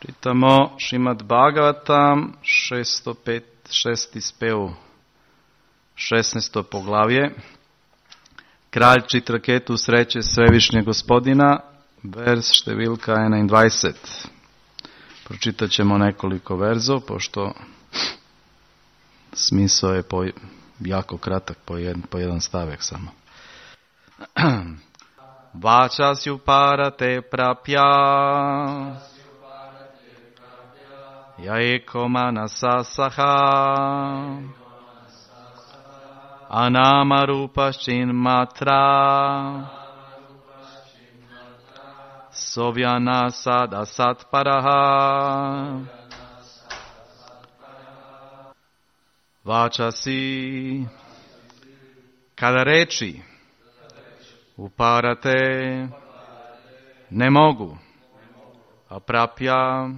Čitamo Šrimad Bhagavatam, 606. spev, 16. poglavlje. Kralj Čitraketu sreće Svevišnjeg Gospodina, vers številka 21. Pročitat ćemo nekoliko verzov, pošto smisao je jako kratak, po jedan stavek samo. Vačasju parate prapja Jaeko manasa saha Anama rupaščin matra Sovjana sada satparaha Vačasi kada reči uparate ne mogu, a prapja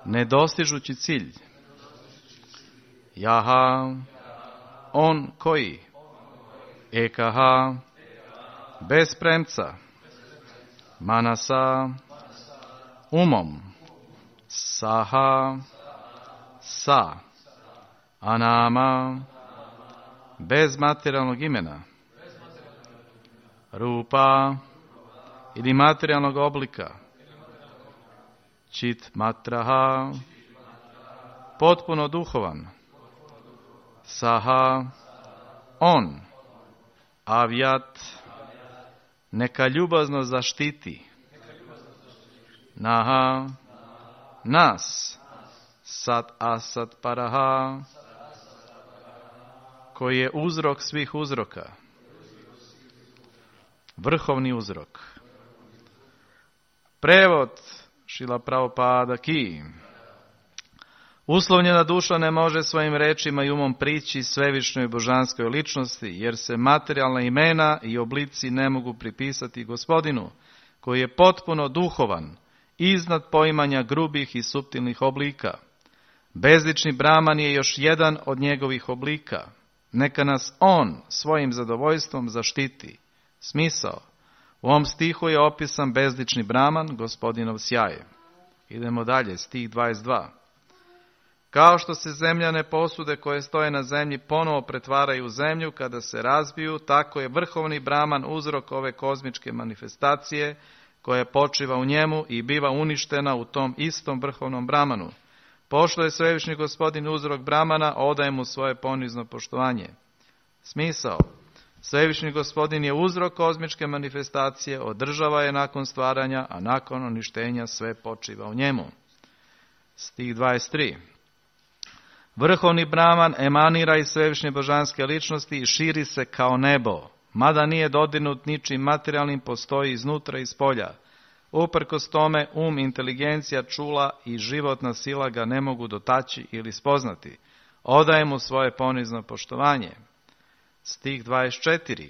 ne dostižući cilj. Jaha, on koji, ekaha, bez premca, manasa, umom, saha, sa, anama, bez materijalnog imena, rupa ili materijalnog oblika, čit matraha, potpuno duhovan, saha, on, avjat, neka ljubazno zaštiti, naha, nas, sat asat paraha, koji je uzrok svih uzroka, vrhovni uzrok. Prevod Šrila Prabhupada ki. Uslovljena duša ne može svojim rečima i umom prići svevišnjoj božanskoj ličnosti, jer se materijalna imena i oblici ne mogu pripisati Gospodinu, koji je potpuno duhovan, iznad poimanja grubih i suptilnih oblika. Bezlični Brahman je još jedan od njegovih oblika. Neka nas on svojim zadovoljstvom zaštiti. Smisao. U ovom stihu je opisan bezlični Brahman, Gospodinov sjaj. Idemo dalje, stih 22. Kao što se zemljane posude koje stoje na zemlji ponovo pretvaraju u zemlju kada se razbiju, tako je vrhovni Brahman uzrok ove kozmičke manifestacije koja počiva u njemu i biva uništena u tom istom vrhovnom Brahmanu. Pošto je svevišnji Gospodin uzrok Brahmana, odaje mu svoje ponizno poštovanje. Smisao. Svevišnji Gospodin je uzrok kozmičke manifestacije, održava je nakon stvaranja, a nakon uništenja sve počiva u njemu. Stih 23. Vrhovni Brahman emanira iz svevišnje božanske ličnosti i širi se kao nebo. Mada nije dodirnut ničim materijalnim, postoji iznutra i spolja. Uprkos tome, inteligencija, čula i životna sila ga ne mogu dotaći ili spoznati. Odaje mu svoje ponizno poštovanje. Stih 24.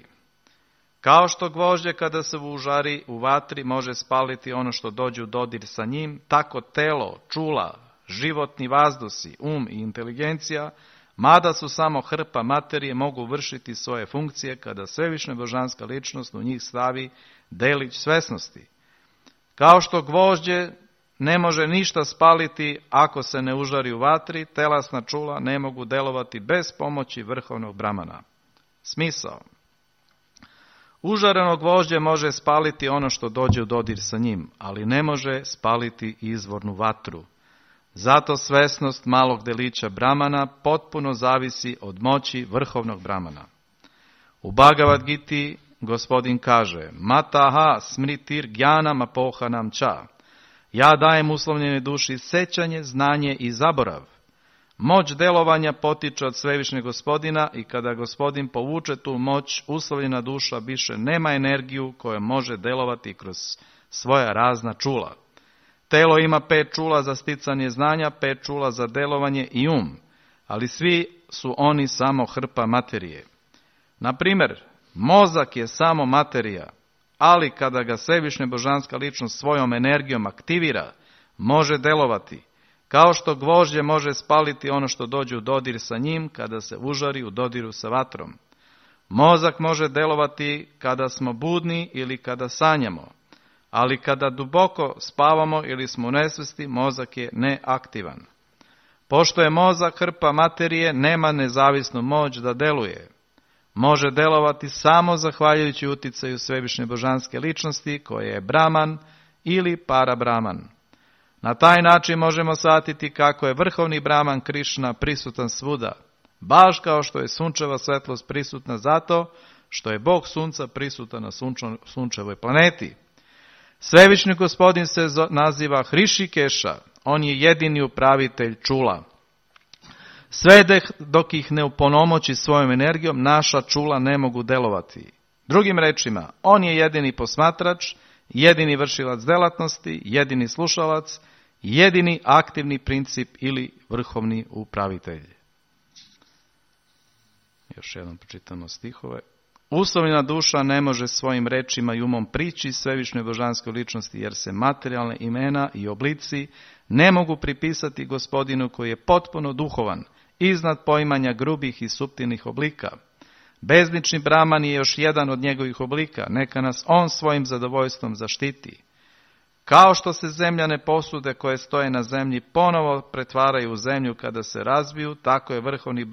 Kao što gvožđe kada se užari u vatri može spaliti ono što dođe u dodir sa njim, tako telo, čula, životni vazdusi, i inteligencija, mada su samo hrpa materije, mogu vršiti svoje funkcije kada svevišnja božanska ličnost u njih stavi delić svesnosti. Kao što gvožđe ne može ništa spaliti ako se ne užari u vatri, telasna čula ne mogu delovati bez pomoći vrhovnog Brahmana. Smisao. Užareno gvožđe može spaliti ono što dođe u dodir sa njim, ali ne može spaliti izvornu vatru. Zato svesnost malog delića Brahmana potpuno zavisi od moći vrhovnog Brahmana. U Bhagavad Giti Gospodin kaže: Mataha smritir gjanam apohanam ča. Ja dajem uslovljenoj duši sećanje, znanje i zaborav. Moć delovanja potiče od svevišnjeg Gospodina i kada Gospodin povuče tu moć, uslovljena duša više nema energiju koja može delovati kroz svoja razna čula. Telo ima 5 čula za sticanje znanja, 5 čula za delovanje i ali svi su oni samo hrpa materije. Na primjer, mozak je samo materija, ali kada ga svevišnja božanska ličnost svojom energijom aktivira, može delovati. Kao što gvožđe može spaliti ono što dođe u dodir sa njim kada se užari u dodiru sa vatrom. Mozak može delovati kada smo budni ili kada sanjamo, ali kada duboko spavamo ili smo u nesvesti, mozak je neaktivan. Pošto je mozak hrpa materije, nema nezavisnu moć da deluje. Može delovati samo zahvaljujući uticaju svevišnje božanske ličnosti, koje je Brahman ili Parabrahman. Na taj način možemo shvatiti kako je vrhovni Brahman Krišna prisutan svuda, baš kao što je sunčeva svetlost prisutna zato što je Bog sunca prisutan na sunčevoj planeti. Svevišnji gospodin se naziva Hrišikeša, on je jedini upravitelj čula. Sve dok ih ne uponomoći svojom energijom, naša čula ne mogu delovati. Drugim rečima, on je jedini posmatrač, jedini vršilac delatnosti, jedini slušalac, jedini aktivni princip ili vrhovni upravitelj. Još jednom pročitamo stihove. Uslovljena duša ne može svojim rečima i umom prići svevišnjoj božanskoj ličnosti, jer se materijalne imena i oblici ne mogu pripisati gospodinu koji je potpuno duhovan, iznad poimanja grubih i suptilnih oblika. Bezlični Brahman je još jedan od njegovih oblika, neka nas on svojim zadovoljstvom zaštiti. Kao što se zemljane posude koje stoje na zemlji ponovo pretvaraju u zemlju kada se razbiju, tako je vrhovni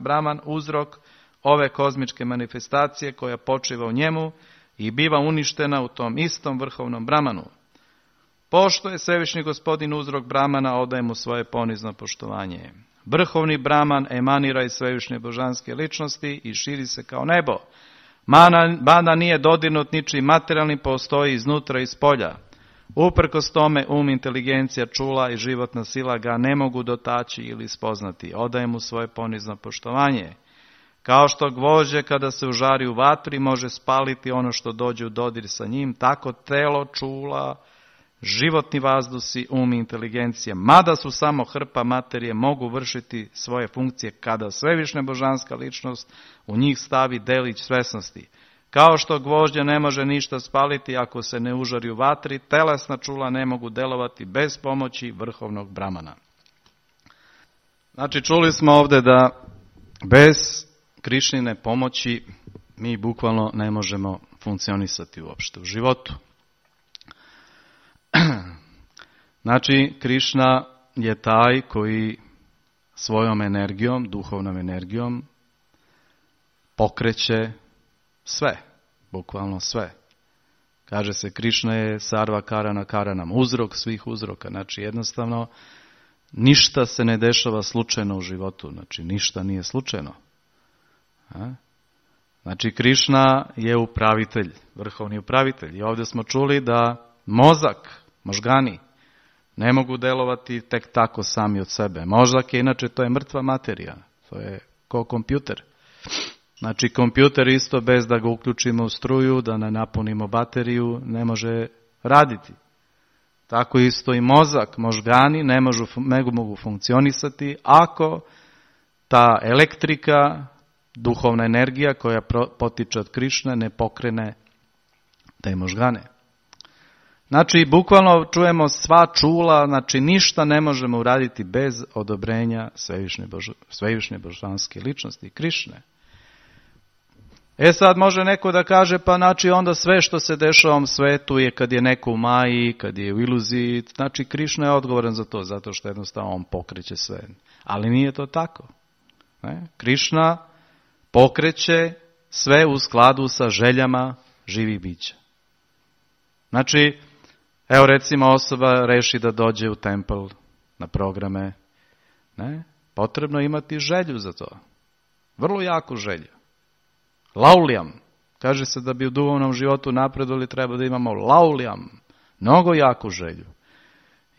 Brahman uzrok ove kozmičke manifestacije koja počiva u njemu i biva uništena u tom istom vrhovnom Brahmanu. Pošto je svevišnji gospodin uzrok Brahmana, odaje mu svoje ponizno poštovanje. Vrhovni Brahman emanira iz svevišnje božanske ličnosti i širi se kao nebo. Mada nije dodirnut ničim materijalnim, postoji iznutra i spolja. Uprkos tome inteligencija, čula i životna sila ga ne mogu dotaći ili spoznati. Odaje mu svoje ponizno poštovanje. Kao što gvožđe kada se užari u vatri može spaliti ono što dođe u dodir sa njim, tako telo, čula, životni vazdusi, i inteligencija, mada su samo hrpa materije, mogu vršiti svoje funkcije kada svevišnja božanska ličnost u njih stavi delić svesnosti. Kao što gvožđe ne može ništa spaliti ako se ne užari u vatri, telesna čula ne mogu delovati bez pomoći vrhovnog Brahmana. Znači, čuli smo ovdje da bez Krišnine pomoći mi bukvalno ne možemo funkcionisati uopšte u životu. Znači, Krišna je taj koji svojom energijom, duhovnom energijom, pokreće sve, bukvalno sve. Kaže se, Krišna je sarva karana karanam, uzrok svih uzroka. Znači, jednostavno, ništa se ne dešava slučajno u životu. Znači, ništa nije slučajno. Znači, Krišna je upravitelj, vrhovni upravitelj. I ovdje smo čuli da mozak, možgani, ne mogu delovati tek tako sami od sebe. Mozak je, inače, to je mrtva materija. To je ko kompjuter. Znači, kompjuter isto bez da ga uključimo u struju, da ne napunimo bateriju, ne može raditi. Tako isto i mozak, možgani ne mogu funkcionisati ako ta elektrika, duhovna energija koja potiče od Krišne ne pokrene te možgane. Znači, bukvalno čujemo sva čula, znači ništa ne možemo uraditi bez odobrenja svevišnje božanske ličnosti, Krišne. Sad može neko da kaže, pa znači onda sve što se dešava u ovom svetu je kad je neko u maji, kad je u iluziji, znači Krišna je odgovoran za to, zato što jednostavno on pokreće sve. Ali nije to tako. Krišna pokreće sve u skladu sa željama živih bića. Znači, evo recimo osoba reši da dođe u templ na programe. Potrebno imati želju za to. Vrlo jaku želju. Lauljam. Kaže se da bi u duhovnom životu napredovali treba da imamo lauljam. Mnogo jaku želju.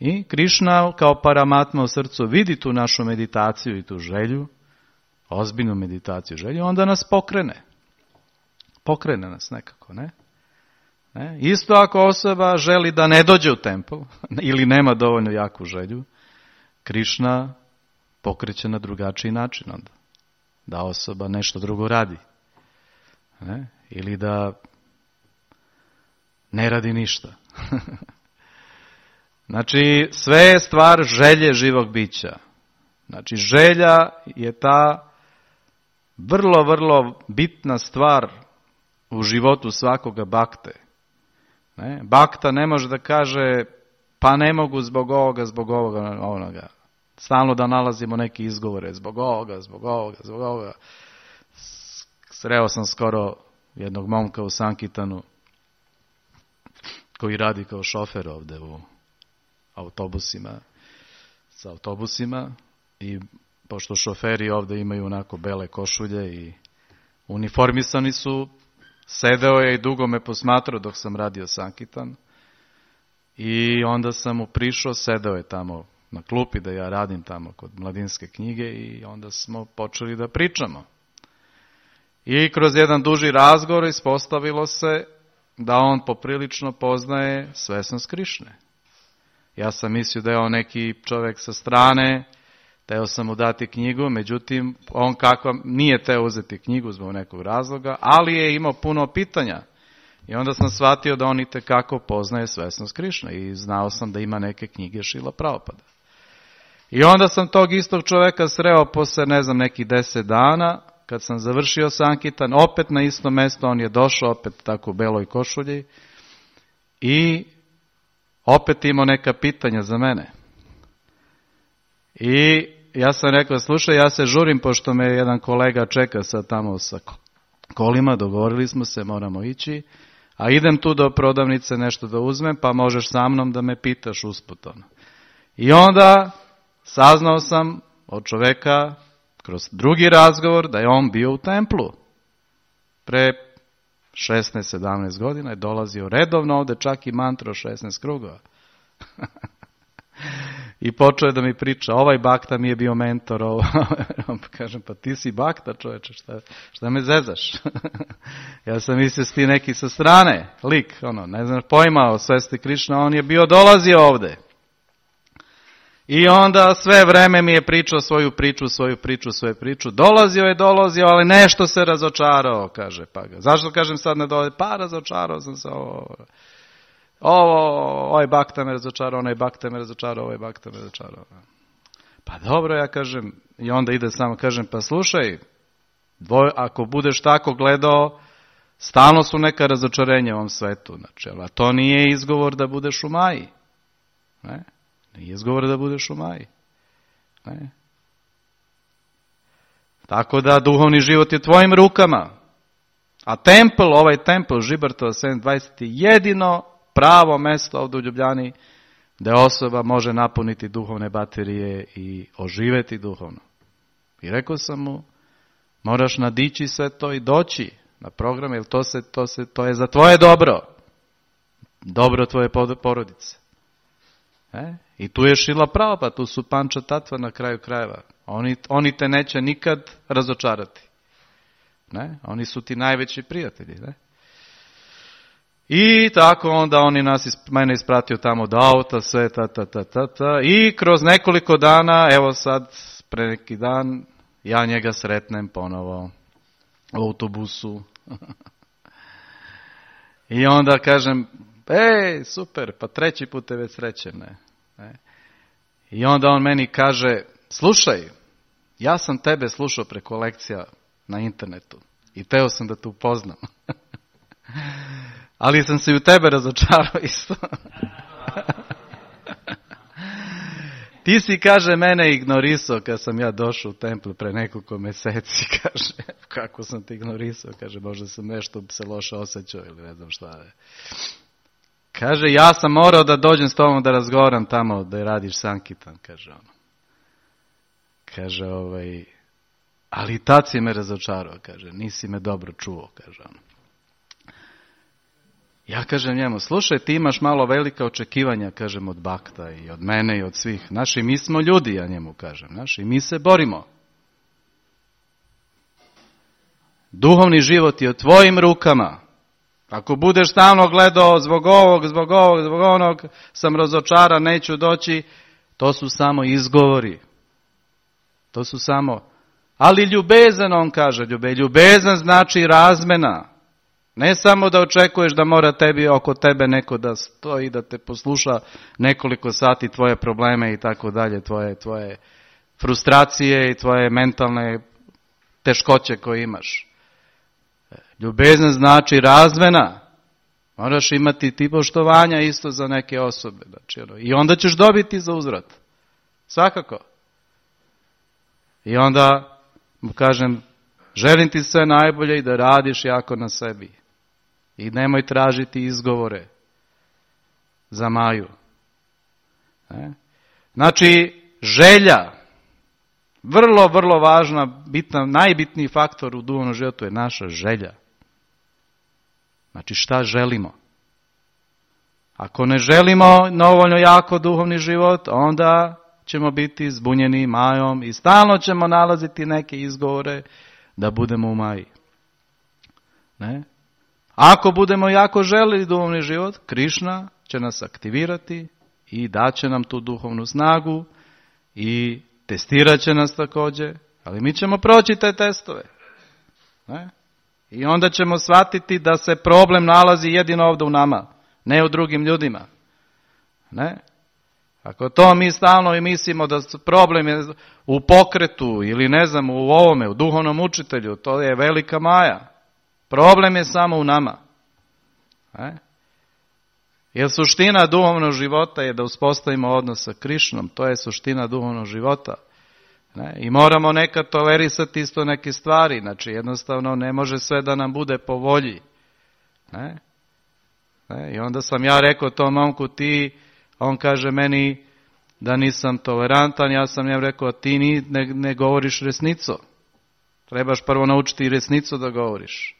I Krišna kao Paramatma u srcu vidi tu našu meditaciju i tu želju, ozbiljnu meditaciju, želju, onda nas pokrene. Pokrene nas nekako, ne? Isto ako osoba želi da ne dođe u templ ili nema dovoljno jaku želju, Krišna pokreće na drugačiji način onda. Da osoba nešto drugo radi. Ili da ne radi ništa. Znači, sve je stvar želje živog bića. Znači, želja je ta vrlo, vrlo bitna stvar u životu svakoga bakte. Ne? Bakta ne može da kaže pa ne mogu zbog ovoga, onoga. Stalno da nalazimo neke izgovore zbog ovoga. Sreo sam skoro jednog momka u Sankitanu koji radi kao šofer ovde u sa autobusima i pošto šoferi ovde imaju onako bele košulje i uniformisani su, sedeo je i dugo me posmatrao dok sam radio Sankitan i onda sam mu prišao, sedeo je tamo na klupi da ja radim tamo kod Mladinske knjige i onda smo počeli da pričamo. I kroz jedan duži razgovor ispostavilo se da on poprilično poznaje svesnost Krišne. Ja sam mislio da je on neki čovjek sa strane, teo sam mu dati knjigu, međutim on nije teo uzeti knjigu zbog nekog razloga, ali je imao puno pitanja. I onda sam shvatio da on itekako poznaje svesnost Krišne i znao sam da ima neke knjige Šrila Prabhupada. I onda sam tog istog čovjeka sreo posle nekih 10 dana, kad sam završio Sankitan, opet na isto mjesto, on je došao opet tako u beloj košulji i opet imao neka pitanja za mene. I ja sam rekao, slušaj, ja se žurim pošto me jedan kolega čeka sad tamo sa kolima, dogovorili smo se, moramo ići, a idem tu do prodavnice nešto da uzmem, pa možeš sa mnom da me pitaš usput. I onda saznao sam od čoveka kroz drugi razgovor da je on bio u templu. Pre 16-17 godina je dolazio redovno ovde, čak i mantro 16 krugova. I počeo je da mi priča, ovaj bakta mi je bio mentor. Kažem, pa ti si bakta, čoveče, šta me zezaš? Ja sam mislio ti neki sa strane, lik, ne znaš pojma o svesti Krišna, on je bio dolazio ovde. I onda sve vreme mi je pričao svoju priču. Dolazio, ali nešto se razočarao, kaže. Pa ga. Zašto kažem sad ne dolazi? Pa razočarao sam se ovaj bakta me razočarao, onaj bakta me razočarao, ovaj bakta me razočarao. Pa dobro, ja kažem, i onda ide samo, kažem, pa slušaj, ako budeš tako gledao, stalno su neka razočarenja u ovom svetu, znači, ali to nije izgovor da budeš u Maji. Ne? Nije izgovor da budeš u Maji. Ne? Tako da duhovni život je tvojim rukama. A ovaj templ Žibartova 720 je jedino pravo mesto ovdje u Ljubljani gdje osoba može napuniti duhovne baterije i oživeti duhovno. I rekao sam mu, moraš nadići sve to i doći na program, jer to je za tvoje dobro. Dobro tvoje porodice. I tu je Šrila Prabhupada, tu su Panča Tatva na kraju krajeva. Oni te neće nikad razočarati. Ne? Oni su ti najveći prijatelji. Ne? I tako onda mene ispratio tamo do auta, sve i kroz nekoliko dana, evo sad, pre neki dan, ja njega sretnem ponovo u autobusu. I onda kažem, super, pa 3. put te već srećem, ne? I onda on meni kaže, slušaj, ja sam tebe slušao preko lekcija na internetu i teo sam da te upoznam. Ali sam se i u tebe razočarao isto. Ti si, kaže, mene ignorisao kad sam ja došao u templu pre nekoliko meseci, kaže, kako sam te ignorisao, kaže, možda sam nešto se loše osjećao ili ne znam šta je. Kaže, ja sam morao da dođem s tobom da razgovaram tamo da radiš Sankitan, kaže ono. Kaže, ali tad si me razočarao, kaže, nisi me dobro čuo, kaže ono. Ja kažem njemu, slušaj, ti imaš malo velika očekivanja, kažem, od bakta i od mene i od svih. Naši, mi smo ljudi, ja njemu kažem, naši, mi se borimo. Duhovni život je u tvojim rukama. Ako budeš stalno gledao zbog onog, sam razočaran, neću doći, to su samo izgovori. To su samo, ali ljubezan, on kaže, ljubezan znači razmena. Ne samo da očekuješ da mora oko tebe neko da stoji, da te posluša nekoliko sati tvoje probleme i tako dalje, tvoje frustracije i tvoje mentalne teškoće koje imaš. Ljubezan znači razmena. Moraš imati ti poštovanja isto za neke osobe. Znači, i onda ćeš dobiti za uzvrat. Svakako. I onda mu kažem, želim ti sve najbolje i da radiš jako na sebi. I nemoj tražiti izgovore za Maju. Znači, želja, vrlo, vrlo važna, bitna, najbitniji faktor u duhovnom životu je naša želja. Znači, šta želimo? Ako ne želimo dovoljno jako duhovni život, onda ćemo biti zbunjeni Majom i stalno ćemo nalaziti neke izgovore da budemo u Maji. Ne? Ako budemo jako želili duhovni život, Krišna će nas aktivirati i daće nam tu duhovnu snagu i testirat će nas također, ali mi ćemo proći te testove. Ne? I onda ćemo shvatiti da se problem nalazi jedino ovdje u nama, ne u drugim ljudima. Ne? Ako to mi stalno i mislimo da problem je u pokretu ili ne znam u ovome, u duhovnom učitelju, to je velika maja. Problem je samo u nama. Ne? Jer suština duhovnog života je da uspostavimo odnos sa Krišnom, to je suština duhovnog života. Ne? I moramo nekad tolerisati isto neke stvari, znači jednostavno ne može sve da nam bude po volji. Ne? Ne? I onda sam ja rekao tom momku, on kaže meni da nisam tolerantan, ja sam njemu rekao, ti ne govoriš resnicu. Trebaš prvo naučiti resnicu da govoriš.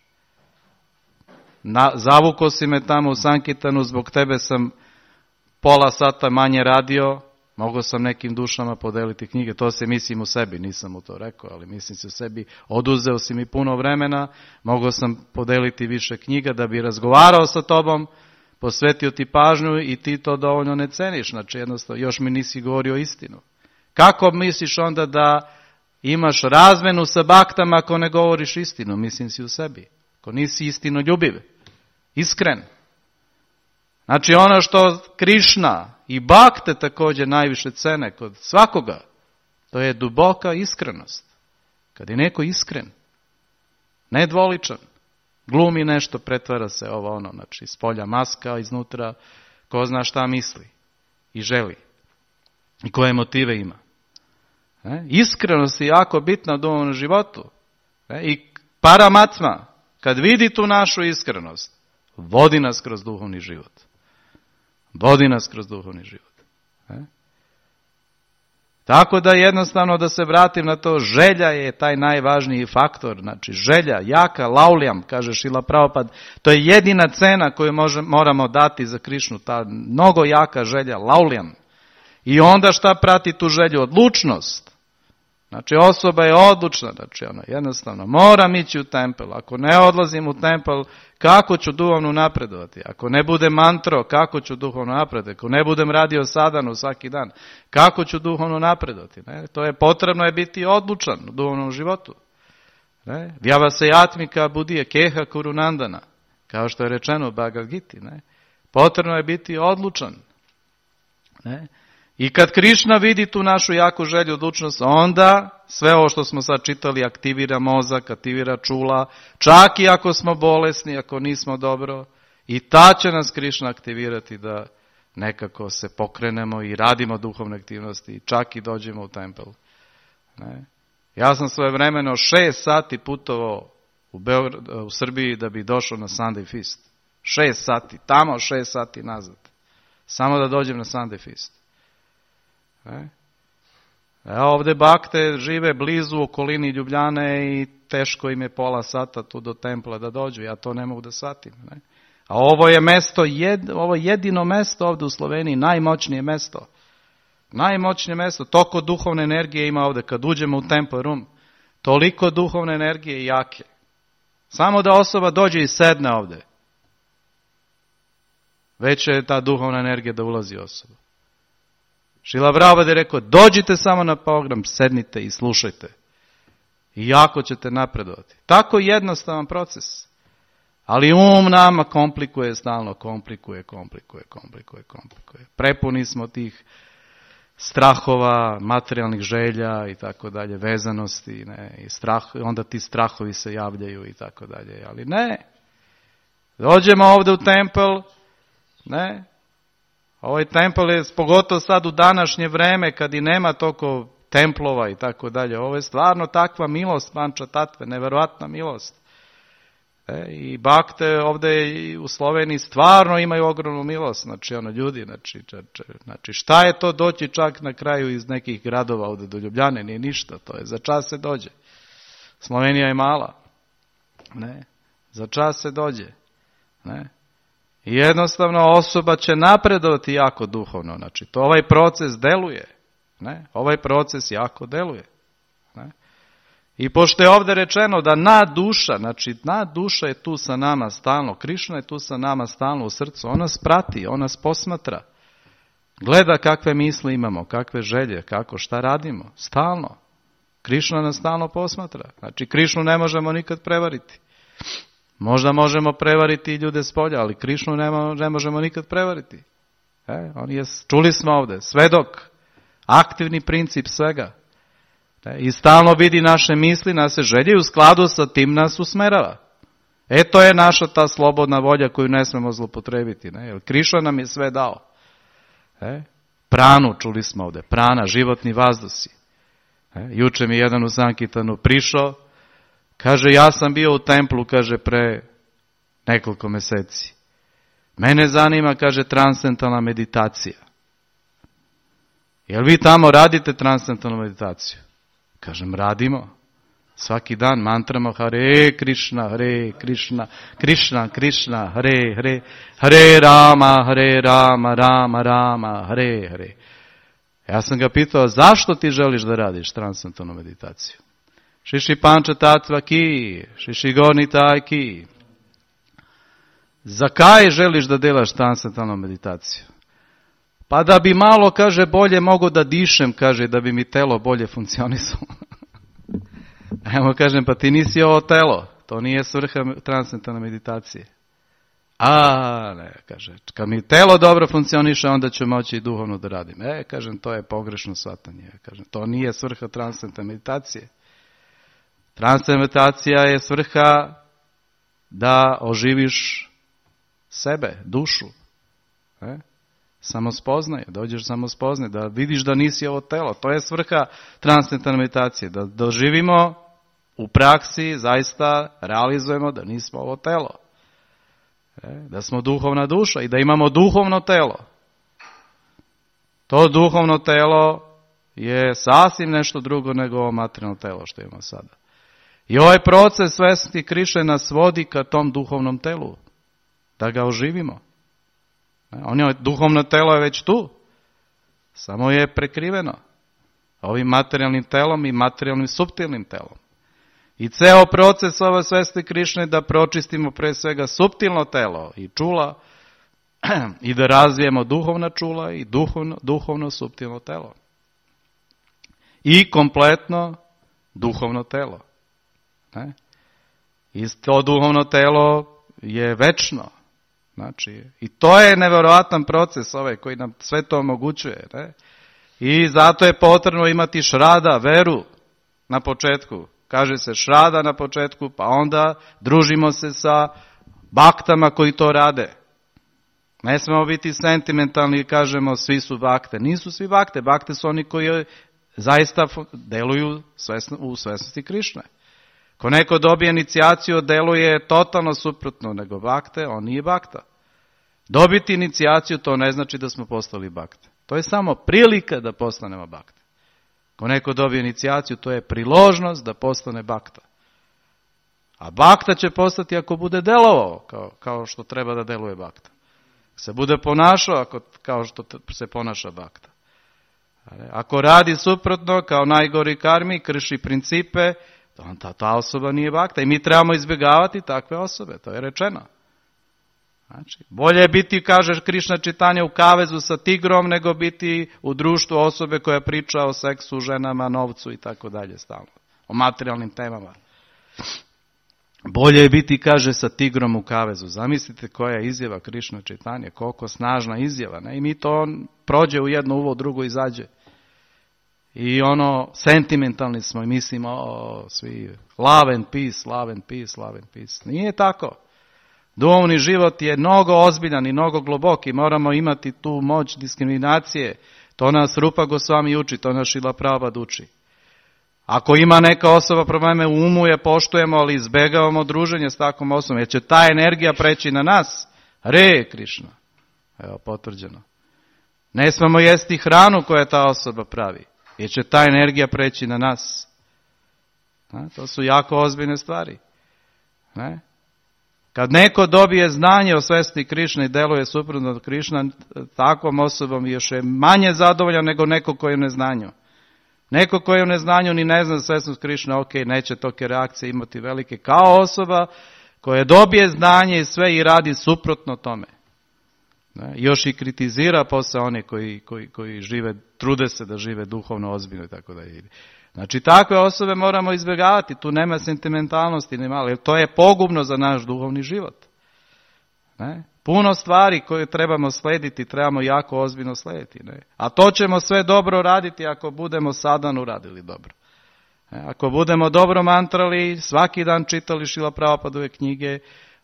Zavuko si me tamo u Sankitanu, zbog tebe sam pola sata manje radio, mogao sam nekim dušama podeliti knjige, to se mislim u sebi, nisam mu to rekao, ali mislim se u sebi, oduzeo si mi puno vremena, mogao sam podeliti više knjiga da bi razgovarao sa tobom, posvetio ti pažnju i ti to dovoljno ne ceniš, znači jednostavno još mi nisi govorio istinu. Kako misliš onda da imaš razmenu sa baktama ako ne govoriš istinu, mislim si u sebi, ako nisi istinoljubiv, iskren. Znači ono što Krišna i bakte također najviše cene kod svakoga, to je duboka iskrenost. Kad je neko iskren, nedvoličan, glumi nešto, pretvara se ovo ono, znači iz polja maska, iznutra, ko zna šta misli i želi i koje motive ima. Iskrenost je jako bitna u duhovnom životu. I Paramatma, kad vidi tu našu iskrenost, vodi nas kroz duhovni život. Vodi nas kroz duhovni život. Tako da jednostavno da se vratim na to, želja je taj najvažniji faktor, znači želja, jaka, lauljam, kaže Šrila Prabhupada, to je jedina cena koju moramo dati za Krišnu, ta mnogo jaka želja, lauljam. I onda šta prati tu želju? Odlučnost. Znači osoba je odlučna, znači ona jednostavno moram ići u tempel, ako ne odlazim u tempel, kako ću duhovno napredovati? Ako ne budem mantro, kako ću duhovno napredovati? Ako ne budem radio sadhanu svaki dan, kako ću duhovno napredovati? Ne? To je potrebno je biti odlučan u duhovnom životu. Vjava se atmika budije keha kurunandana, kao što je rečeno u Bhagavad Giti. Ne? Potrebno je biti odlučan. Ne? I kad Krišna vidi tu našu jaku želju, odlučnost, onda sve ovo što smo sad čitali aktivira mozak, aktivira čula, čak i ako smo bolesni, ako nismo dobro, i ta će nas Krišna aktivirati da nekako se pokrenemo i radimo duhovne aktivnosti, i čak i dođemo u tempel. Ne? Ja sam svojevremeno 6 sati putovao u Srbiji da bi došao na Sunday Feast. 6 sati, tamo 6 sati nazad. Samo da dođem na Sunday Feast. Ovdje bakte žive blizu okolini Ljubljane i teško im je pola sata tu do templa da dođu, ja to ne mogu da shvatim. Ne? A ovo je mesto, ovo jedino mesto ovdje u Sloveniji, najmoćnije mesto. Najmoćnije mesto, toliko duhovne energije ima ovdje, kad uđemo u Temple Room, toliko duhovne energije i jake. Samo da osoba dođe i sedne ovdje, već je ta duhovna energija da ulazi osoba. Šrila Prabhupada je rekao, dođite samo na program, sednite i slušajte. I jako ćete napredovati. Tako jednostavan proces. Ali nama komplikuje stalno, komplikuje. Prepuni smo tih strahova, materijalnih želja i tako dalje, vezanosti, ne, i onda ti strahovi se javljaju i tako dalje. Ali ne, Dođemo ovdje u tempel, ne? Ovaj tempel je, pogotovo sad u današnje vreme, kad i nema toliko templova i tako dalje, ovo je stvarno takva milost Panča Tatve, neverovatna milost. I bakte ovdje u Sloveniji stvarno imaju ogromnu milost, znači ljudi, znači šta je to doći čak na kraju iz nekih gradova ovdje do Ljubljane, nije ništa, to je za čas se dođe. Slovenija je mala, ne, za čas se dođe, ne. I jednostavno osoba će napredovati jako duhovno, znači to ovaj proces deluje, ne, ovaj proces jako deluje, ne. I pošto je ovdje rečeno da nadduša, znači nadduša je tu sa nama stalno, Krišna je tu sa nama stalno u srcu, ona nas prati, ona nas posmatra, gleda kakve misli imamo, kakve želje, kako, šta radimo, stalno. Krišna nas stalno posmatra, znači Krišnu ne možemo nikad prevariti. Možda možemo prevariti i ljude s polja, ali Krišnu ne možemo nikad prevariti. On je, čuli smo ovdje, svedok, aktivni princip svega. I stalno vidi naše misli, naše želje i u skladu sa tim nas usmerava. To je naša ta slobodna volja koju ne smemo zlopotrebiti. Jer Krišna nam je sve dao. Pranu, čuli smo ovdje, prana, životni vazdusi. Juče mi jedan u Sankitanu prišao, kaže, ja sam bio u templu, kaže, pre nekoliko meseci. Mene zanima, kaže, transcendentalna meditacija. Jel vi tamo radite transcendentalnu meditaciju? Kažem, radimo. Svaki dan mantramo Hare Krishna, Hare Krishna, Krishna Krishna, Hare Hare, Hare Rama, Rama Rama, Hare Hare. Ja sam ga pitao, zašto ti želiš da radiš transcendentalnu meditaciju? Šiši Panča Tatva ki, Šiši Gornitaj ki. Za kaj želiš da delaš transcendentalnu meditaciju? Pa da bi malo, kaže, bolje mogo da dišem, kaže, da bi mi telo bolje funkcionisalo. Evo kažem, pa ti nisi ovo telo, to nije svrha transcendentalne meditacije. Ne, kaže, kad mi telo dobro funkcioniše, onda ću moći i duhovno da radim. Kažem, to je pogrešno shvatanje. Kažem, to nije svrha transcendentalne meditacije. Transcendentalna meditacija je svrha da oživiš sebe, dušu. Samospoznaje, dođeš samospoznaje, da vidiš da nisi ovo telo. To je svrha transcendentalne meditacije, da doživimo u praksi, zaista realizujemo da nismo ovo telo. Da smo duhovna duša i da imamo duhovno telo. To duhovno telo je sasvim nešto drugo nego ovo materijalno telo što imamo sada. I ovaj proces svesti Krišne nas vodi ka tom duhovnom telu, da ga oživimo. Duhovno telo je već tu, samo je prekriveno ovim materijalnim telom i materijalnim suptilnim telom. I ceo proces ove svesti Krišne da pročistimo pre svega suptilno telo i čula i da razvijemo duhovna čula i duhovno suptilno telo. I kompletno duhovno telo. I to duhovno telo je večno. Znači, i to je nevjerovatan proces koji nam sve to omogućuje. I zato je potrebno imati šrada, veru na početku. Kaže se šrada na početku, pa onda družimo se sa baktama koji to rade. Ne smemo biti sentimentalni i kažemo svi su bakte. Nisu svi bakte. Bakte su oni koji zaista deluju u svesnosti Krišne. Ko neko dobije inicijaciju, deluje totalno suprotno nego bakte, on nije bakta. Dobiti inicijaciju, to ne znači da smo postali bakte. To je samo prilika da postanemo bakte. Ko neko dobije inicijaciju, to je priložnost da postane bakta. A bakta će postati ako bude delovao kao što treba da deluje bakta. Se bude ponašao kao što se ponaša bakta. Ako radi suprotno, kao najgori karmi, krši principe, ta osoba nije bakta. I mi trebamo izbjegavati takve osobe, to je rečeno. Znači, bolje je biti, kaže Krišna Čitanja, u kavezu sa tigrom, nego biti u društvu osobe koja priča o seksu, ženama, novcu i tako dalje stalno. O materijalnim temama. Bolje je biti, kaže, sa tigrom u kavezu. Zamislite koja je izjava Krišna Čitanja, koliko snažna izjava. Ne? I mi to prođe u jedno uvo, drugo izađe. I sentimentalni smo i mislimo, svi, love and peace, love and peace, love and peace. Nije tako. Duhovni život je mnogo ozbiljan i mnogo glubok i moramo imati tu moć diskriminacije. To nas Rupa Gosvami uči, to nas Šrila Prabhupada uči. Ako ima neka osoba probleme u umu, je poštujemo, ali izbegavamo druženje s takvom osobom, jer će ta energija preći na nas. Hare Krišna. Evo, potvrđeno. Ne smemo jesti hranu koju ta osoba pravi, jer će ta energija preći na nas. To su jako ozbiljne stvari. Ne? Kad neko dobije znanje o svesti Krišne i deluje suprotno od Krišna, takvom osobom još je manje zadovoljan nego neko koji je u neznanju. Neko koji je u neznanju ni ne zna svesnost Krišne, ok, neće toke reakcije imati velike, kao osoba koja dobije znanje i sve i radi suprotno tome. Ne? Još i kritizira posle one koji žive, trude se da žive duhovno ozbiljno i tako da ide. Znači, takve osobe moramo izbjegavati, tu nema sentimentalnosti, ni malo, jer to je pogubno za naš duhovni život. Ne? Puno stvari koje trebamo slediti, trebamo jako ozbiljno slediti. Ne? A to ćemo sve dobro raditi ako budemo sadhanu radili dobro. Ako budemo dobro mantrali, svaki dan čitali Šrila Prabhupadove knjige,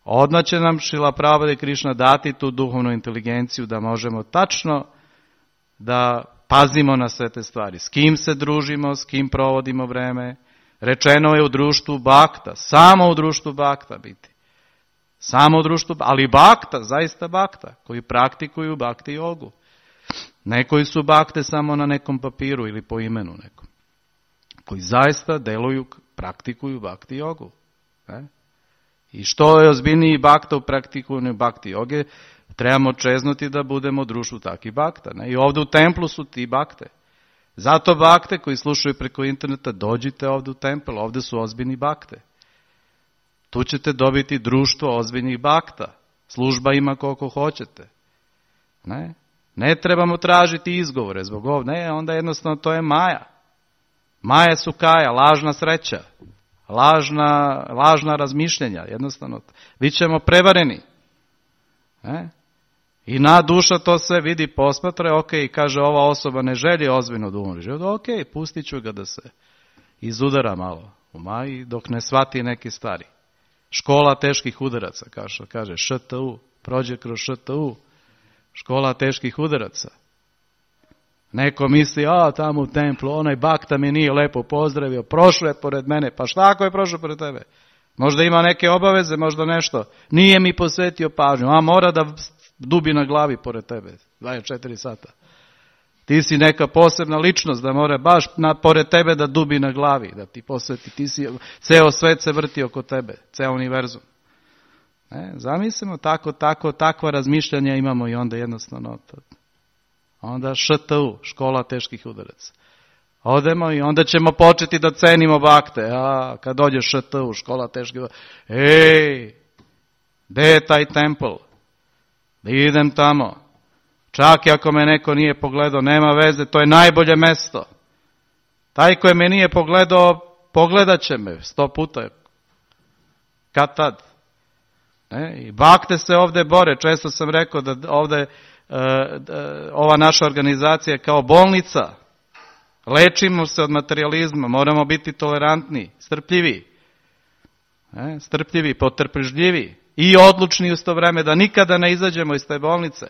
odmah će nam Šrila Prabhupada i Krišna dati tu duhovnu inteligenciju da možemo tačno da pazimo na sve te stvari. S kim se družimo, s kim provodimo vreme. Rečeno je u društvu bakta, samo u društvu bakta biti. Samo u društvu, ali bakta, zaista bakta, koji praktikuju bakti jogu. Ne koji su bakte samo na nekom papiru ili po imenu nekom. Koji zaista deluju, praktikuju bakti jogu. Ne? I što je ozbiljniji bakta u praktikuju bakti joge, trebamo čeznuti da budemo u društvu takvih bakta. Ne? I ovdje u templu su ti bakte. Zato bakte koji slušaju preko interneta, dođite ovdje u tempel, ovdje su ozbiljni bakte. Tu ćete dobiti društvo ozbiljnih bakta. Služba ima koliko hoćete. Ne trebamo tražiti izgovore zbog ovdje. Ne, onda jednostavno to je maja. Maja su kaja, lažna sreća. Lažna razmišljenja. Jednostavno, bit ćemo prevareni. I na duša to sve vidi, posmatra, ok, kaže ova osoba ne želi ozbiljno duhovni život, ok, pustit ću ga da se izudara malo u maji dok ne shvati neke stvari. Škola teških udaraca, kaže ŠTU, prođe kroz ŠTU, škola teških udaraca. Neko misli, tamo u templu, onaj bakta mi nije lepo pozdravio, prošao je pored mene, pa šta ako je prošao pored tebe? Možda ima neke obaveze, možda nešto, nije mi posvetio pažnju, mora da dubi na glavi pored tebe, 24 sata. Ti si neka posebna ličnost da mora baš pored tebe da dubi na glavi, da ti posveti, ti si, ceo svet se vrti oko tebe, ceo univerzum. Zamislimo, takva razmišljanja imamo i onda jednostavno. Onda ŠTU, škola teških udaraca. Odemo i onda ćemo početi da cenimo bakte. Kad dođe ŠTU, škola teških udaraca. Gde je taj tempel? Da idem tamo. Čak i ako me neko nije pogledao, nema veze, to je najbolje mesto. Taj koji me nije pogledao, pogledat će me 100 puta. Kad tad? I bakte se ovdje bore. Često sam rekao da ovdje ova naša organizacija je kao bolnica. Lečimo se od materijalizma, moramo biti tolerantni, strpljivi. Strpljivi, potrpežljivi i odlučni u to vreme da nikada ne izađemo iz te bolnice,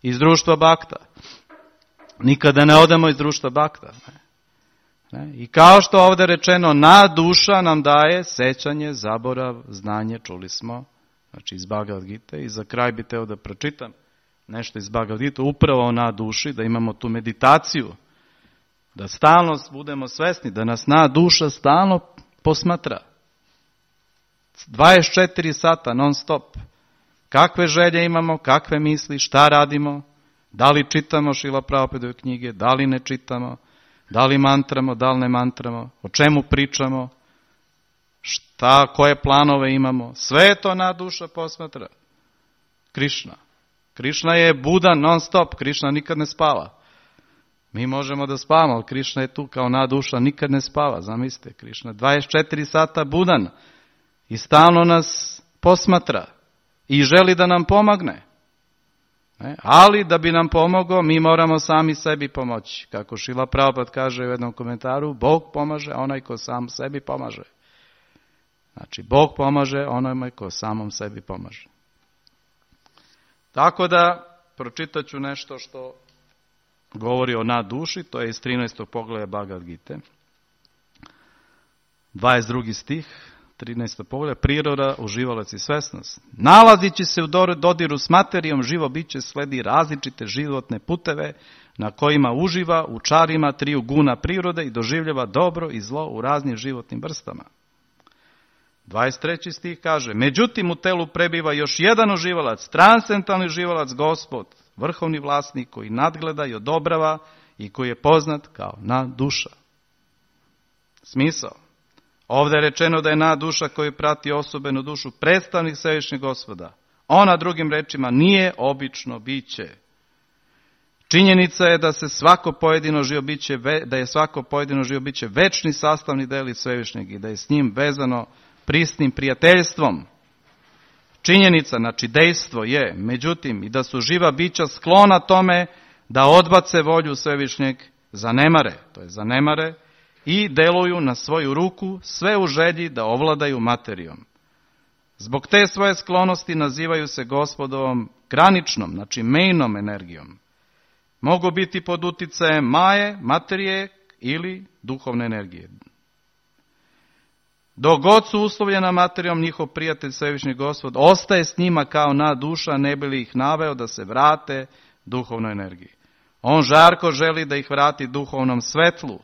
iz društva bakta. Nikada ne odemo iz društva bakta. I kao što ovdje rečeno, na duša nam daje sećanje, zaborav, znanje, čuli smo, znači iz Bhagavad Gite. I za kraj bi teo da pročitam nešto iz Bhagavad Gite, upravo na duši, da imamo tu meditaciju, da stalno budemo svesni, da nas na duša stalno posmatra. 24 sata non stop. Kakve želje imamo, kakve misli, šta radimo, da li čitamo Šrila Prabhupadove knjige, da li ne čitamo, da li mantramo, da li ne mantramo, o čemu pričamo, koje planove imamo. Sve to na duša posmatra. Krišna. Krišna je budan non stop, Krišna nikad ne spava. Mi možemo da spavamo, ali Krišna je tu kao na duša, nikad ne spava. Zamislite, Krišna 24 sata budan i stalno nas posmatra i želi da nam pomogne. Ali da bi nam pomogao, mi moramo sami sebi pomoći. Kako Šrila Prabhupada kaže u jednom komentaru, Bog pomaže onaj ko sam sebi pomaže. Znači, Bog pomaže onome ko samom sebi pomaže. Tako da, pročitat ću nešto što govori o duši, to je iz 13. poglavlja Bhagavad Gite. 22. stih, 13. poglavlja, priroda, uživalac i svesnost. Nalazići se u dodiru s materijom, živo biće sledi različite životne puteve na kojima uživa u čarima triju guna prirode i doživljava dobro i zlo u raznim životnim vrstama. 23. stih kaže, međutim u telu prebiva još jedan uživalac, transcendentalni uživalac, Gospod, vrhovni vlasnik koji nadgleda i odobrava i koji je poznat kao duša. Smisao. Ovdje je rečeno da je duša koju prati osobenu dušu predstavnik Svevišnjeg Gospoda. Ona, drugim rečima, nije obično biće. Činjenica je da je svako pojedino živo biće večni sastavni deli Svevišnjeg i da je s njim vezano prisnim prijateljstvom. Činjenica, znači dejstvo je, međutim, i da su živa bića sklona tome da odbace volju Svevišnjeg, zanemare i deluju na svoju ruku, sve u želji da ovladaju materijom. Zbog te svoje sklonosti nazivaju se Gospodovom graničnom, znači mejnom energijom. Mogu biti pod uticajem maje, materije ili duhovne energije. Dok god su uslovljena materijom, njihov prijatelj Svevišnji Gospod ostaje s njima kao duša, ne bi li ih naveo da se vrate duhovnoj energiji. On žarko želi da ih vrati duhovnom svetlu,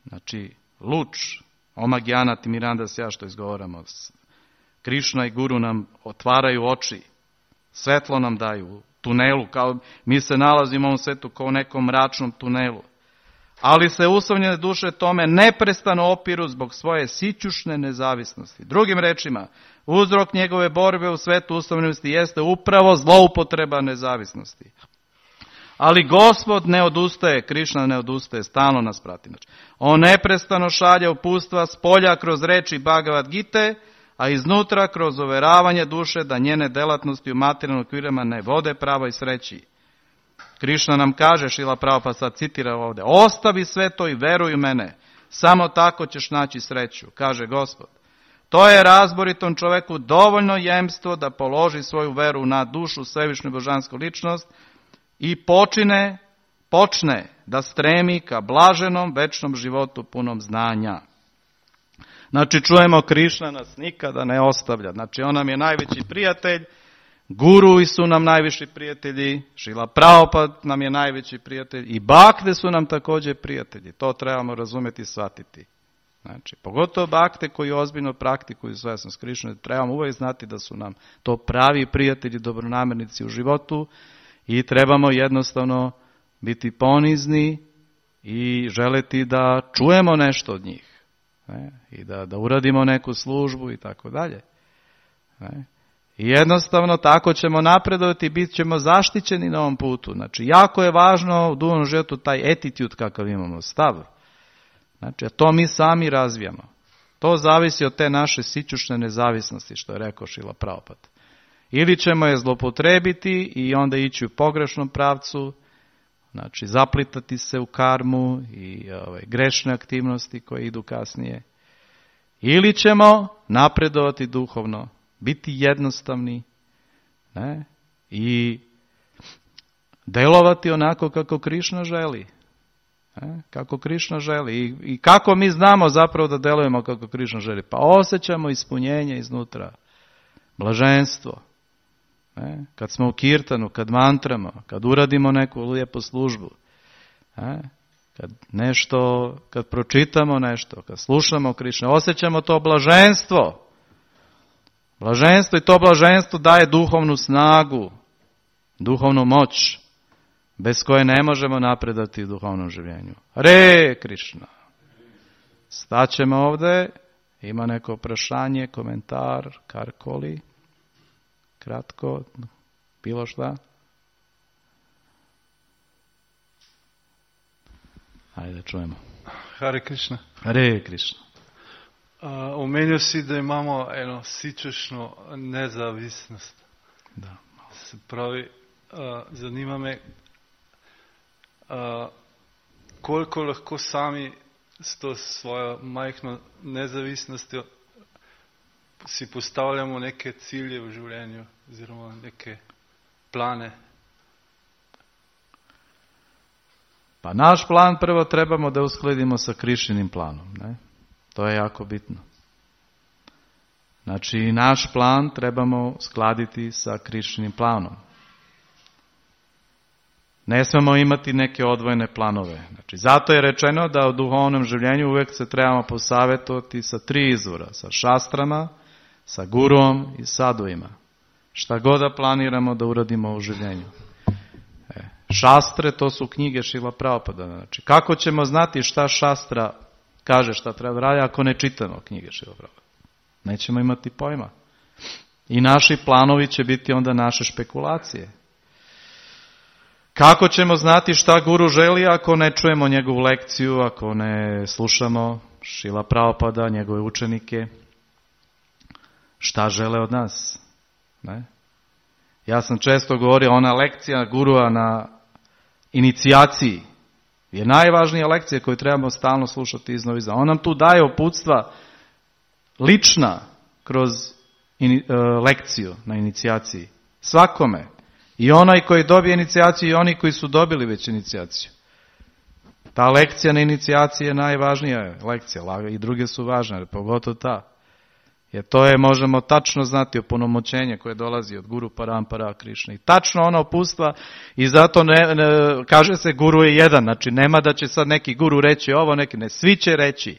znači luč, Omagijana Timirandas ja što izgovaramo. Krišna i Guru nam otvaraju oči, svetlo nam daju, tunelu, kao mi se nalazimo u ovom svetu kao u nekom mračnom tunelu. Ali se uslovljene duše tome neprestano opiru zbog svoje sićušne nezavisnosti. Drugim rečima, uzrok njegove borbe u svetu uslovljenosti jeste upravo zloupotreba nezavisnosti. Ali Gospod ne odustaje, Krišna ne odustaje, stalno nas prati. On neprestano šalje uputstva s polja kroz reči Bhagavad Gite, a iznutra kroz uveravanje duše da njene delatnosti u materijalnim okvirima ne vode pravoj sreći. Krišna nam kaže, Šrila Prabhupada sad citira ovdje, ostavi sve to i veruj u mene, samo tako ćeš naći sreću, kaže Gospod. To je razboritom čoveku dovoljno jemstvo da položi svoju veru na dušu Svevišnju božansku ličnost i počne da stremi ka blaženom večnom životu punom znanja. Znači čujemo, Krišna nas nikada ne ostavlja, znači on nam je najveći prijatelj, Guru su nam najviši prijatelji, Šrila Prabhupada nam je najveći prijatelj i Bakte su nam također prijatelji. To trebamo razumjeti i shvatiti. Znači, pogotovo Bakte koji ozbiljno praktikuju svesnost Krišne, trebamo uvijek znati da su nam to pravi prijatelji, dobronamernici u životu i trebamo jednostavno biti ponizni i želeti da čujemo nešto od njih. I da uradimo neku službu i tako dalje. I jednostavno tako ćemo napredovati i bit ćemo zaštićeni na ovom putu. Znači, jako je važno u duhovnom životu taj attitude kakav imamo, stav. Znači, a to mi sami razvijamo. To zavisi od te naše sićušne nezavisnosti, što je rekao Šrila Prabhupada. Ili ćemo je zlopotrebiti i onda ići u pogrešnom pravcu, znači zaplitati se u karmu i grešne aktivnosti koje idu kasnije. Ili ćemo napredovati duhovno, biti jednostavni i delovati onako kako Krišna želi. Kako Krišna želi. I kako mi znamo zapravo da delujemo kako Krišna želi? Pa osjećamo ispunjenje iznutra, blaženstvo. Kad smo u kirtanu, kad mantramo, kad uradimo neku lijepu službu, kad pročitamo nešto, kad slušamo Krišnu, osjećamo to blaženstvo. Blaženstvo i to blaženstvo daje duhovnu snagu, duhovnu moć, bez koje ne možemo napredati u duhovnom življenju. Hare Krišna. Staćemo ovdje, ima neko prašanje, komentar, karkoli, kratko, bilo šta. Ajde, čujemo. Hare Krišna. Hare Krišna. Omenil si, da imamo eno sičušno nezavisnost. Da. Se pravi, zanima me, koliko lahko sami s to svojo majhno nezavisnostjo si postavljamo neke cilje v življenju, oziroma neke plane? Pa naš plan prvo trebamo da uskladimo sa Krišinim planom. Ne? To je jako bitno. Znači, naš plan trebamo skladiti sa Krišinim planom. Ne smemo imati neke odvojene planove. Znači, zato je rečeno da u duhovnom življenju uvijek se trebamo posavjetovati sa 3 izvora. Sa šastrama, sa guruom i sadovima. Šta god da planiramo da uradimo u življenju. Šastre, to su knjige Šrila Prabhupada. Znači, kako ćemo znati šta šastra kaže šta treba raditi ako ne čitamo knjige Šrila Prabhupada? Nećemo imati pojma. I naši planovi će biti onda naše špekulacije. Kako ćemo znati šta guru želi ako ne čujemo njegovu lekciju, ako ne slušamo Šrila Prabhupada, njegove učenike? Šta žele od nas? Ne? Ja sam često govorio, ona lekcija gurua na inicijaciji je najvažnija lekcija koju trebamo stalno slušati iznova. On nam tu daje uputstva lična kroz lekciju na inicijaciji. Svakome. I onaj koji dobije inicijaciju i oni koji su dobili već inicijaciju. Ta lekcija na inicijaciji je najvažnija lekcija. I druge su važne, pogotovo ta. Jer to je, možemo tačno znati, opunomoćenje koje dolazi od Guru Parampara Krišne. I tačno ono uputstva i zato kaže se guru je jedan. Znači nema da će sad neki guru reći ovo, neki ne. Svi će reći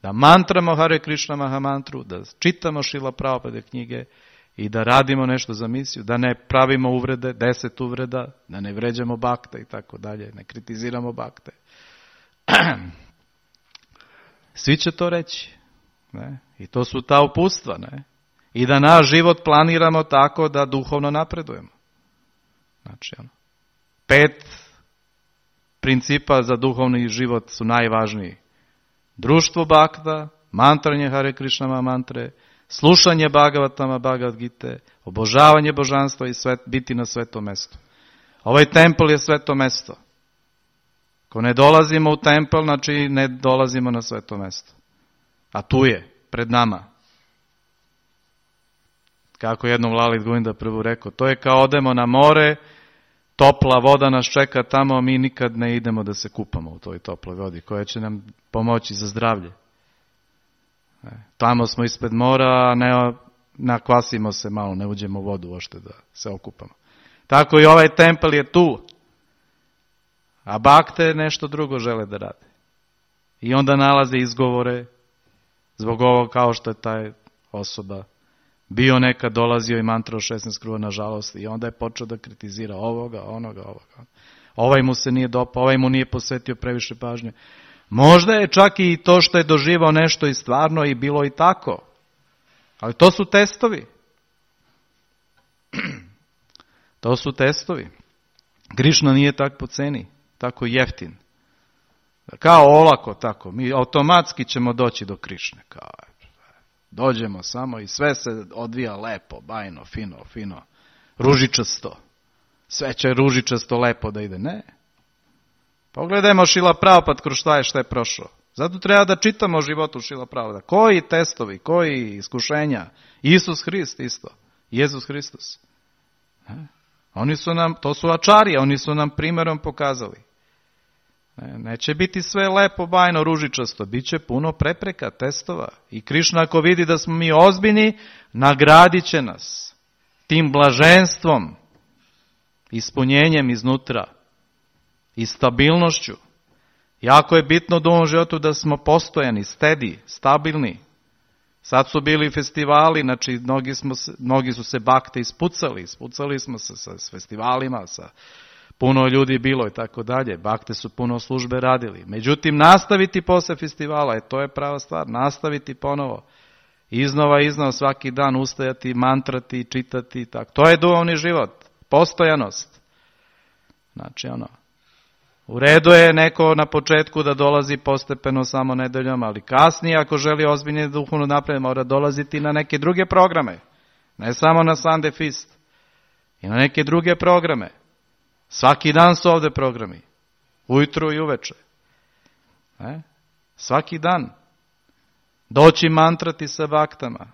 da mantramo Hare Krishna Mahamantru, da čitamo Šrila Prabhupada knjige i da radimo nešto za misiju, da ne pravimo uvrede, 10 uvreda, da ne vređamo bakte i tako dalje, ne kritiziramo bakte. Svi će to reći. Ne? I to su ta uputstva. Ne? I da naš život planiramo tako da duhovno napredujemo. Znači, 5 principa za duhovni život su najvažniji. Društvo bakta, mantranje Hare Krišnama mantre, slušanje Bhagavatama, Bhagavad Gite, obožavanje božanstva i biti na svetom mestu. Ovaj tempel je sveto mesto. Ako ne dolazimo u tempel, znači ne dolazimo na sveto mesto. A tu je, pred nama. Kako jednom Lalit Govinda prvo rekao, to je kao odemo na more, topla voda nas čeka tamo, a mi nikad ne idemo da se kupamo u toj toploj vodi, koja će nam pomoći za zdravlje. Tamo smo ispred mora, a ne nakvasimo se malo, ne uđemo u vodu ošte da se okupamo. Tako i ovaj tempel je tu. A bakte nešto drugo žele da rade. I onda nalaze izgovore zbog ovog, kao što je taj osoba bio nekad, dolazio i mantrao 16 kruga, nažalost, i onda je počeo da kritizira ovoga, onoga. Ovaj mu se nije dopao, ovaj mu nije posvetio previše pažnje. Možda je čak i to što je doživao nešto i stvarno i bilo i tako. Ali to su testovi. To su testovi. Krišna nije tak po ceni, tako jeftin. Kao olako tako, mi automatski ćemo doći do Krišne. Kao, dođemo samo i sve se odvija lepo, bajno, fino, ružičasto. Sve će ružičasto lepo da ide. Ne. Pogledajmo Šrila Prabhupada kroz šta je prošao. Zato treba da čitamo o životu Šrila Prabhupada. Koji testovi, koji iskušenja. Isus Hrist isto. Jezus Hristos. Oni su nam, to su ačarije, oni su nam primjerom pokazali. Neće biti sve lepo, bajno, ružičasto. Biće puno prepreka, testova. I Krišna ako vidi da smo mi ozbiljni, nagradit će nas tim blaženstvom, ispunjenjem iznutra i stabilnošću. Jako je bitno u ovom životu da smo postojani, steady, stabilni. Sad su bili festivali, znači mnogi su se bakte ispucali smo se sa festivalima, sa puno ljudi bilo i tako dalje. Bakte su puno službe radili. Međutim, nastaviti posle festivala, to je prava stvar, nastaviti ponovo. Iznova, svaki dan ustajati, mantrati, čitati, tako. To je duhovni život, postojanost. Znači, u redu je neko na početku da dolazi postepeno samo nedeljom, ali kasnije ako želi ozbiljnije duhovno napred, mora dolaziti na neke druge programe. Ne samo na Sunday Feast. I na neke druge programe. Svaki dan su ovde programi. Ujutru i uveče. Svaki dan. Doći mantrati sa baktama.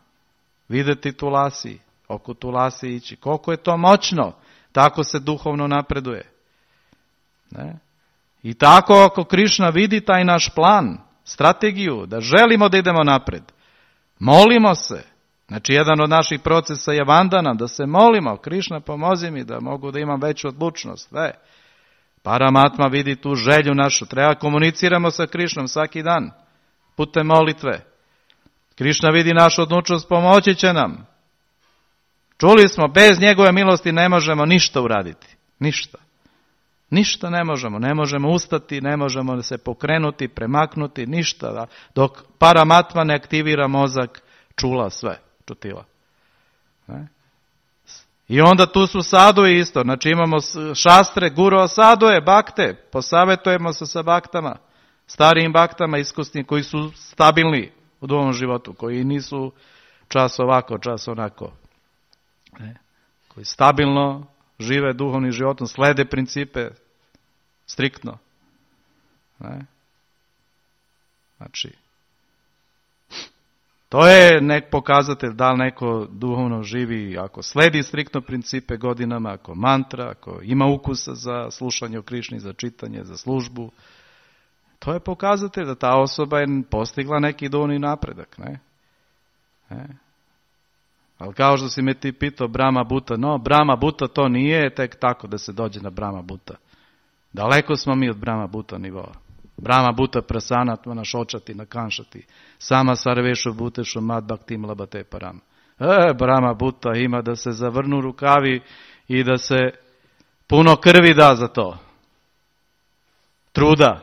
Videti Tulasi. Oko Tulasi ići. Koliko je to moćno tako se duhovno napreduje. Ne? I tako ako Krišna vidi taj naš plan, strategiju, da želimo da idemo napred, molimo se. Znači, jedan od naših procesa je vandana, da se molimo, Krišna pomozi mi da mogu da imam veću odlučnost. Paramatma vidi tu želju našu, treba komuniciramo sa Krišnom svaki dan, putem molitve. Krišna vidi našu odlučnost, pomoći će nam. Čuli smo, bez njegove milosti ne možemo ništa uraditi. Ništa. Ništa ne možemo ustati, ne možemo se pokrenuti, premaknuti, ništa. Dok paramatma ne aktivira mozak, čula sve, čutila. Ne? I onda tu su saduje isto, znači imamo šastre, guru saduje, bakte, posavetujemo se sa baktama, starijim baktama, iskusni, koji su stabilni u duhovnom životu, koji nisu čas ovako, čas onako. Ne? Koji stabilno žive duhovnim životom, slede principe striktno. Ne? Znači, to je nek pokazatelj da li neko duhovno živi, ako sledi striktno principe godinama, ako mantra, ako ima ukusa za slušanje o Krišni, za čitanje, za službu. To je pokazatelj da ta osoba je postigla neki duhovni napredak. Ne? Ali kao što si me ti pitao Brahma Buta, no Brahma Buta to nije tek tako da se dođe na Brahma Buta. Daleko smo mi od Brahma Buta nivoa. Brahma Buta prasanat mana šočati na kanšati. Sama sarvešu butešu mad bhaktim labate param. Brahma Buta ima da se zavrnu rukavi i da se puno krvi da za to. Truda.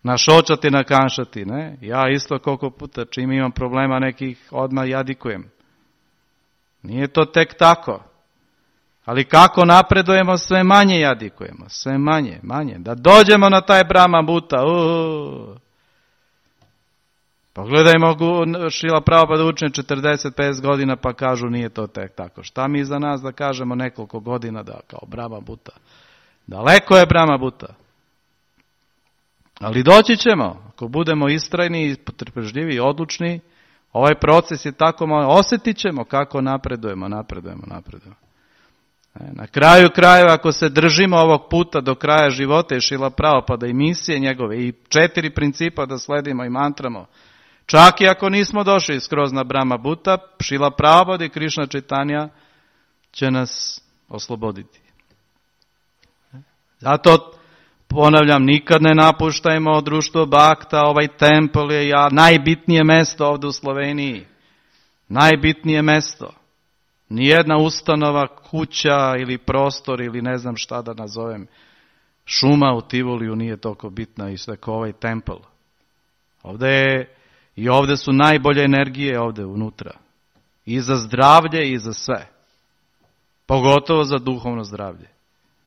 Našočati na kanšati. Ne? Ja isto koliko puta čim imam problema nekih odmah jadikujem. Nije to tek tako. Ali kako napredujemo, sve manje jadikujemo. Sve manje. Da dođemo na taj Brahma Buta. Pogledajmo Šrila Prabhupada učenje 40-50 godina pa kažu nije to tek tako. Šta mi za nas da kažemo nekoliko godina da kao Brahma Buta. Daleko je Brahma Buta. Ali doći ćemo. Ako budemo istrajni, potrpežljivi i odlučni, ovaj proces je tako malo, osjetit ćemo kako napredujemo. Na kraju krajeva, ako se držimo ovog puta do kraja života i Šrila Prabhupada i misije njegove i 4 principa da sledimo i mantramo, čak i ako nismo došli skroz na Brahma Buta, Šrila Prabhupada i Krišna Čaitanja će nas osloboditi. Zato ponavljam, nikad ne napuštajmo društvo Bhakta, ovaj tempel je najbitnije mesto ovdje u Sloveniji. Najbitnije mesto. Nijedna ustanova, kuća ili prostor ili ne znam šta da nazovem, šuma u Tivoliju nije toliko bitna isto kao ovaj tempel. Ovdje su najbolje energije ovdje unutra. I za zdravlje i za sve. Pogotovo za duhovno zdravlje.